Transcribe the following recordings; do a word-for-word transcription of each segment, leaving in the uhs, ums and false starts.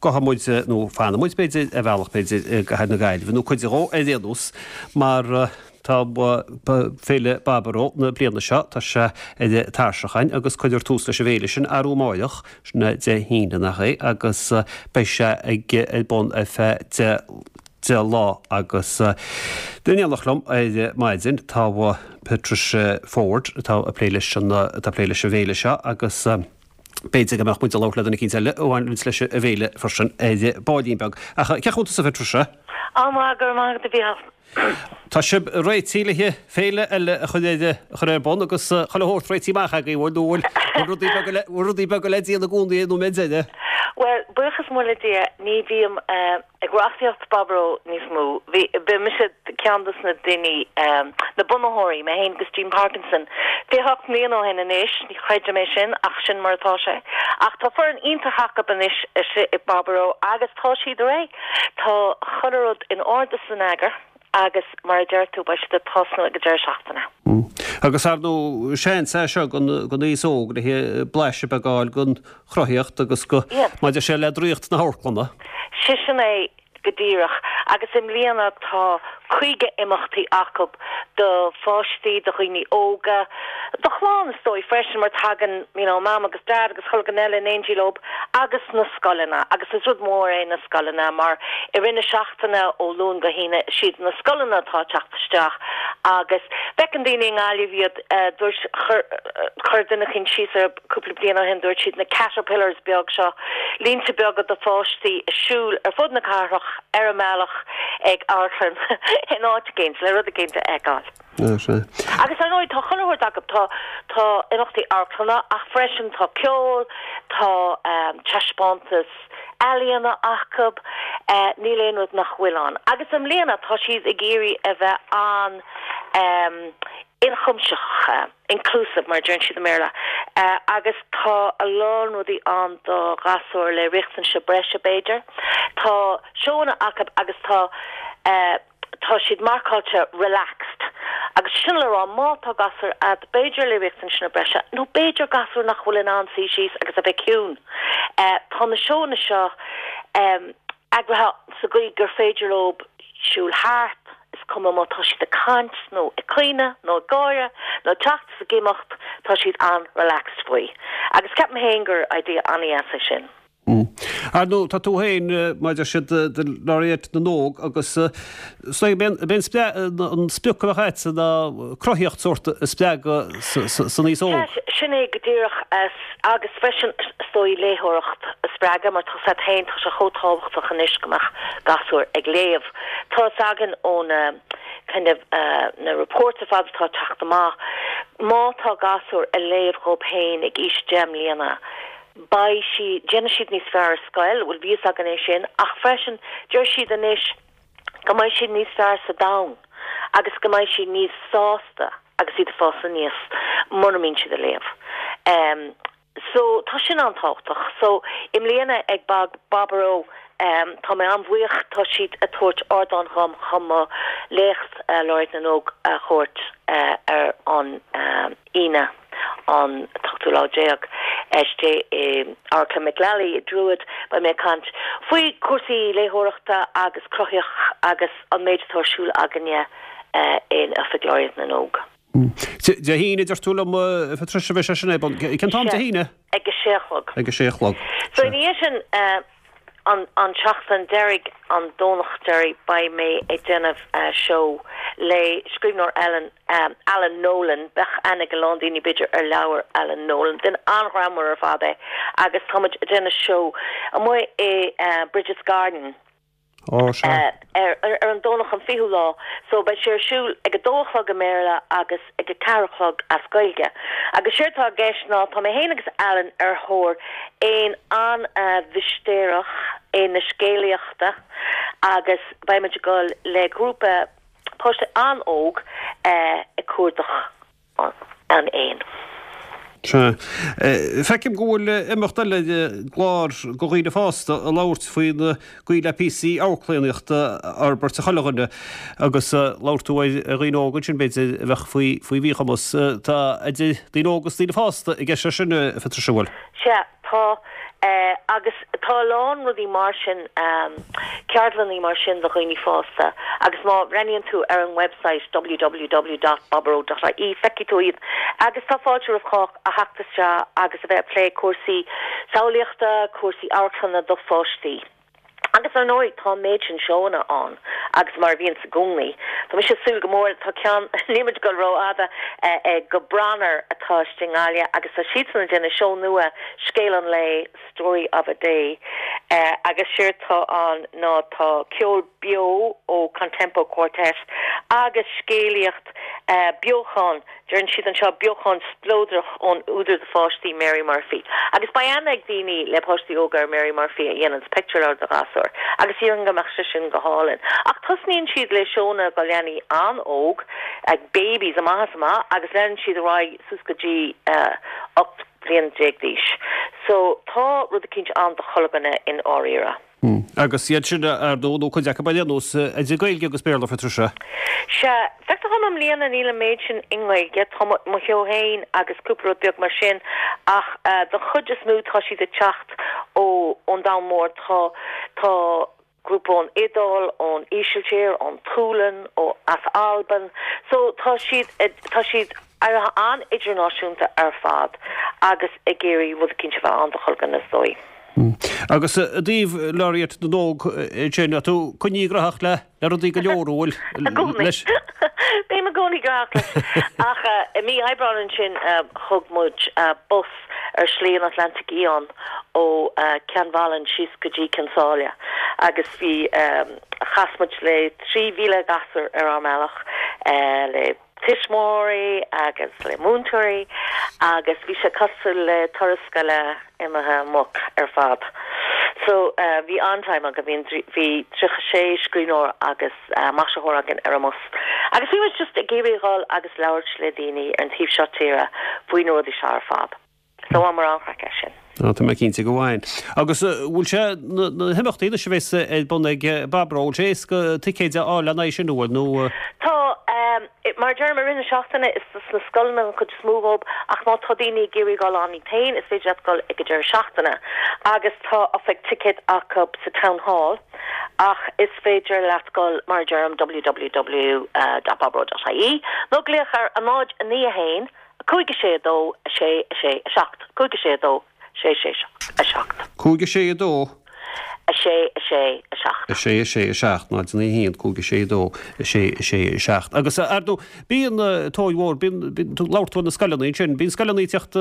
Gabhfaidh muid, nó fanfaidh muid b'fhéidir, ar bhealach b'fhéidir i gcathair na Gaillimhe, nó cuid dhó ar aon nós, mar tá Féile Baboró na bliana seo, tá sé ar an tairseach againn agus cuirfear tús leis an bhféile sin arú amáireach, sin é Dé hAoine nach é, agus beidh sé ag ar bun ar feadh deich deich lá agus in éineacht liom ar maidin tá Patricia Forde atá ag plé leis an atá ag plé leis an bhféile seo agus b'fhéidir go mbeadh muid ag labhairt le duine eicínt eile a bhaineanns leis an bhféile freisin ar baillín beag. Ach cén chaoi a bhfuil tusa a Phatricia? Á maith, go raibh maith agat a Mhícheáil. Tá sibh réitithe le féile eile a chur ar a chur ar bun agus chuile shórt réitithe amach agaibh, bhfuil nó bhfuil bhfuil rudaí beaga le bhfuil rudaí beaga le déanamh i gcónaí ag an nóiméad deiridh? Bhuel, buíochas mór le Dia, ní bhím ag reachtaíocht Baboró níos mó. Bhí, bhí mise ceann dos na daoine, na bunaitheoirí, mé féin agus Jean Parkinson, fiche hocht mbliana ó shin anois, ní chreidim é sin ach sin mar atá sé. Ach tá foireann iontach acu anois istigh i Baboró agus tá siad réidh. Tá chuile rud in ord is in eagar agus mar a deir tú beidh siad ag tosnú ag an deireadh seachtaine. Agus ar ndóigh seans é seo don aos óg le blaiseadh beag a fháil den chruthaíocht agus go maidir sé le draíocht na hamharclanna. Sé sin é go díreach agus i mbliana tá caoga imeachtaí acu do pháistí, do dhaoine óga, do chlann is dóigh freisin mar tagann you know mam agus dad agus chuile dhuine eile in éindí leo agus na scoileanna agus is rud mór é na scoileanna mar i rith na seachtaine ó Luan go hAoine siad na scoileanna atá ag teacht isteach agus feiceann daoine i nGaillimh iad dúirt chuir chuir duine eicínt síos ar cúpla bliain ó shin dúirt siad na caterpillars beag seo línte beaga de pháistí ag siúl ar fud na cathrach ar a mbealach ag amharclann in áit eicínt le rud eicínt a fheiceáil. Agus ar ndóigh tá chuile shórt acu, tá tá imeachtaí amharclanna ach freisin tá ceol, tá taispeántas ealaíona acu, níl aon rud nach bhfuil ann. Agus i mbliana tá siad ag iarraidh a bheith an ionchuimsitheach, inclusive mar a deireann siad i mBéarla, agus tá a lán rudaí ann do ghasúir le riachtanais breise b'fhéidir. Tá seóanna acu agus tá tá siad marcáilte relaxed agus sin le rá má tá gasúr a'd b'fhéidir le riachtanais breise nó b'fhéidir gasúr nach bhfuil in ann suí síos agus a bheith ciúin. Tá na seóanna seo eagraithe sa gcaoi gur féidir leo siúl thart, is cuma má tá siad ag caint nó ag caoineadh nó ag gáire nó ag teacht is ag imeacht, tá siad an-relaxed faoi. Agus ceapaim féin gur idea an-dheas é sin. Ar ndóigh, tá tú féin, mar a deir siad, do Laureate na nÓg agus b'é an sprioc a bheadh agatsa ná cruthaíocht sórt a spreagadh san aos óg. Sin é go díreach agus freisin is dóigh léitheoireacht a spreagadh mar tá 's agat féin, tá sé chomh tábhachtach anois go mbeadh gasúir ag léamh. Tá 's againn ó na kind of na reports ar fad atá ag teacht amach, má tá gasúr ag léamh dhóibh féin ag aois deich mbliana, beidh siad, déanfaidh siad níos fearr ar scoil, bhuel bhí fhios againn é sin, ach freisin deir siad anois go mbeidh siad níos fearr sa domhan agus go mbeidh siad níos sásta agus iad ag fás aníos mura mbíonn siad ag léamh. Um, so tá sin an-tábhachtach. So i mbliana ag Bag Baboró um, tá mé an-bhuíoch tá siad ag tabhairt ardán dhom chun mo léacht uh, Laureate na nÓg a thabhairt uh, ar an um, Aoine an t-ochtú lá déag istigh i Amharclann Mick Lally i Druid beidh mé ag caint faoi cúrsaí léitheoireachta agus cruthaíocht agus an méid atá ar siúl againne uh, in Oifig Laureate na nÓg. Dé hAoine deir tú liom a Phatricia bheidh sé sin é bun. Cén t-am Dé hAoine? Ag a sé a chlog. Ag a sé a chlog. So ina dhiaidh sin uh, an, an tseachtain deiridh an Domhnach deiridh beidh mé ag déanamh uh, seó le scríbhneoir Ellen um, Alan Nolan bheadh aithne ag a lán daoine b'fhéidir ar leabhar Alan Nolan duine an-ghreannmhar ar fad é agus táimid ag déanamh seó amuigh i uh, Bridget's Garden. Ó sea. Uh, ar, ar, ar an Domhnach an fichiú lá, so beidh sé ar siúl ag a dó a chlog i mBéarla agus ag a ceathair a chlog as Gaeilge. Agus séard atá i gceist ná tá mé féin agus Alan ar thóir éan an-mhistéireach éan na scéalaíochta agus beidh muid ag dul le grúpa páiste an-óg uh, ag cuardach an, an éin. Sea. Feicim go bhfuil imeacht eile clár do dhaoine fásta a labhairt faoin gcaoi le píosaí amharclannaíochta a fhorbairt a chuile dhuine agus labhair tú ar dhaoine óga ansin b'fhéidir a bheadh faoi faoi mhíchumas. Tá idir daoine óga agus daoine fásta i gceist leis sin a Phatricia bhfuil? Sea, tá Agus tá a lán rudaí mar sin, ceardlanna mar sin do dhaoine fásta agus má bhreathnaíonn tú ar an website www dot baboró dot ie feicfidh tú iad. Agus tá fáilte roimh chách a theacht isteach agus a bheith ag plé cúrsaí samhlaíochta, cúrsaí amharclainne do pháistí. Agus ar ndóigh tá an méid sin seóanna ann agus mar a bhíonns i gcónaí. Tá mise ag súil go mór, tá ceann, níl muid ag dul rófhada, go Branar atá istigh i nGaillimh agus tá siadsan ag déanamh seó nua, Scéal an Lae, Story of a Day, agus séard tá ann ná tá ceol beo ó Contempo Quartet agus scéalaíocht, beochan, deireann siad anseo, beochan spleodrach ón údar do pháistí Mary Murphy. Agus beidh aithne ag daoine le páistí óga ar Mary Murphy a dhéananns pictiúrleabhair do ghasúir, agus déarfainn go mbeadh sé sin go hálainn. Ach tosnaíonn siad le seónna do leanaí an-óg, like babies amach is amach, agus leanann siad ar aghaidh suas go dtí ocht bliana déag d'aois. So tá rud eicínt ann do chuile dhuine i ndáiríre. Agus iad sin, ar ndóigh, nó cuid acu ar aon nós, idir Gaeilge agus Béarla, a Phatricia. Sea, feictear dhom i mbliana níl an méid sin i nGaeilge, tá mo sheó féin agus cúpla rud beag mar sin, ach don chuid is mó tá siad ag teacht ó ón domhan mór, tá tá grúpa ón Iodáil, ón Ísiltír, ón tSualainn, ó as Albain, so tá siad tá siad éirithe an-idirnáisiúnta ar fad agus ag iarraidh rud eicínt a bheith ann do chuile dhuine is dóigh. Agus i dtaobh Laureate na nÓg ansin, tá tú coinnithe gnóthach le rudaí go leor, an bhfuil? I gcónaí. Bím i gcónaí gnóthach leis. Ach i mí Aibreáin ansin thug muid bus ar Shlí an Atlantaigh Fhiáin ó Ceann Mhalan síos go dtí Cionn tSáile agus bhí, chas muid le trí mhíle gasúr ar ár mbealach le tuismitheoirí agus le múinteoirí agus bhí sé cosúil le turas scoile imithe amok ar fad. So bhí an-time againn, bhí bhí tríocha sé scríbhneoir agus maisitheoir againn ar an mbus. Agus bhí muid just ag iarraidh dhul agus labhairt le daoine ar an taobh seo tíre faoi na rudaí seo ar fad. So bhaineamar an-chraic as sin. Á, tá mé cinnte go bhain. Agus bhfuil sé, na himeachtaí anois a bheas ar bun ag Baboró, bhfuil sé éasca ticéid a fháil lena aghaidh sin, an bhfuil, nó? Tá, mar a deirim, i rith na seachtaine is sna scoileanna an chuid is mó dhób ach má tá daoine ag iarraidh dul ann iad féin is féidir leat dul ag an deireadh seachtaine agus tá oifig ticéad acu sa Town Hall ach is féidir leat dul, mar a deirim, www dot baboró dot ie nó glaoch ar a náid a naoi a haon cúig a sé a dó a sé a sé a seacht cúig a sé a dó sé sé a seacht. Cúig a sé a dó. A sé a sé a seacht. A sé a sé a seacht, náid a naoi a haon, cúig a sé a dó, a sé a sé a seacht. Agus ar ndóigh, bíonn tóir mhór, bíonn, bíonn, labhair tú ar na scoileanna ansin, bíonn scoileanna ag teacht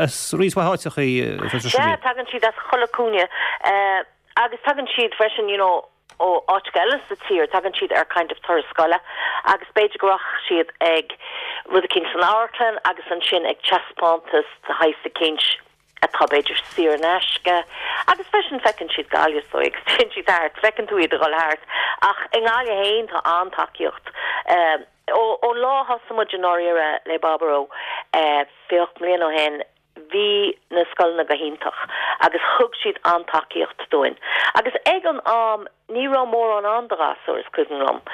as roinnt mhaith áiteachaí, a Phatricia. Sea, tagann siad as chuile chúinne agus tagann siad freisin, you know, ó áiteacha eile sa tír, tagann siad ar kind of turas scoile agus b'fhéidir go rachaidh siad ag rud eicínt san amharclann agus ansin ag taispeántas de shaghas eicínt atá b'fhéidir saor in aisce agus freisin feiceann siad Gaillimh is dóigh agus téann siad thart, feiceann tú iad ag dul thart ach i nGaillimh féin tá an-tacaíocht. Ón lá a thosaigh muid i ndáiríre le Baboró fiche ocht mbliana ó shin, Bhí na scoileanna go hiontach agus thug siad an-tacaíocht dúinn. Agus ag an am ní raibh mórán ann do ghasúir, is cuimhin liom.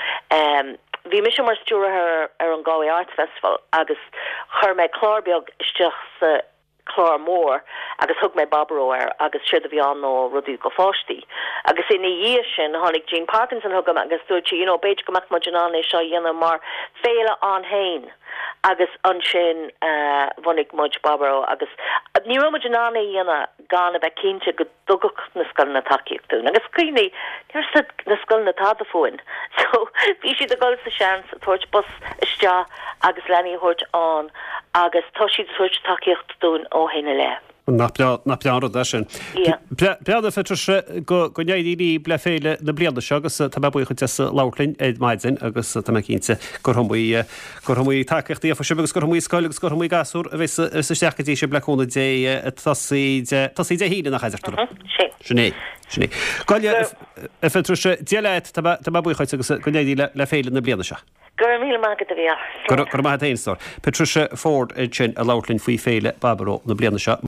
Bhí mise mar stiúrthóir ar an Galway Arts Festival agus chuir mé clár beag isteach sa chlár mór agus thug mé Baboró air agus séard a bhí ann ná rudaí do pháistí. Agus ina dhiaidh sin tháinig Jean Parkinson chugam agus dúirt sí, you know, b'fhéidir go mbeadh muid in ann é seo a dhéanamh mar féile ann féin. Agus ansin bhunaigh muid Baboró agus ní raibh muid in ann é a dhéanamh gan a bheith cinnte go dtugfadh na scoileanna tacaíocht dúinn. Agus cuimhnigh, ní raibh na scoileanna tada fúinn. So bhí siad ag dul sa seans, ag tabhairt bus isteach agus leanaí a thabhairt ann agus tá siad ag tabhairt tacaíocht dúinn ó shin i leith. Nach breá, nach breá an rud é sin. Breá a Phatricia go n-éirí libh le féile na bliana seo agus tá mé buíoch duit as labhairt linn ar maidin agus tá mé cinnte gur iomaí, gur iomaí tacaíocht a gheobhaidh sibh agus gur iomaí scoil agus gur iomaí gasúr a bheas isteach go dtí sibh le cúnamh Dé ag tosaí Dé, tosaí Dé hAoine nach ea a deir tú? Sin. Sin é, sin é. Gabh a Phatricia, Dia leat, tá mé, tá mé buíoch duit agus go n-éirí le féile na bliana seo. Go raibh míle maith agat a Mhícheáil. Go raibh maith agat féin, a stór. Patricia Forde ansin ag labhairt linn faoi Féile Baboró na bliana seo.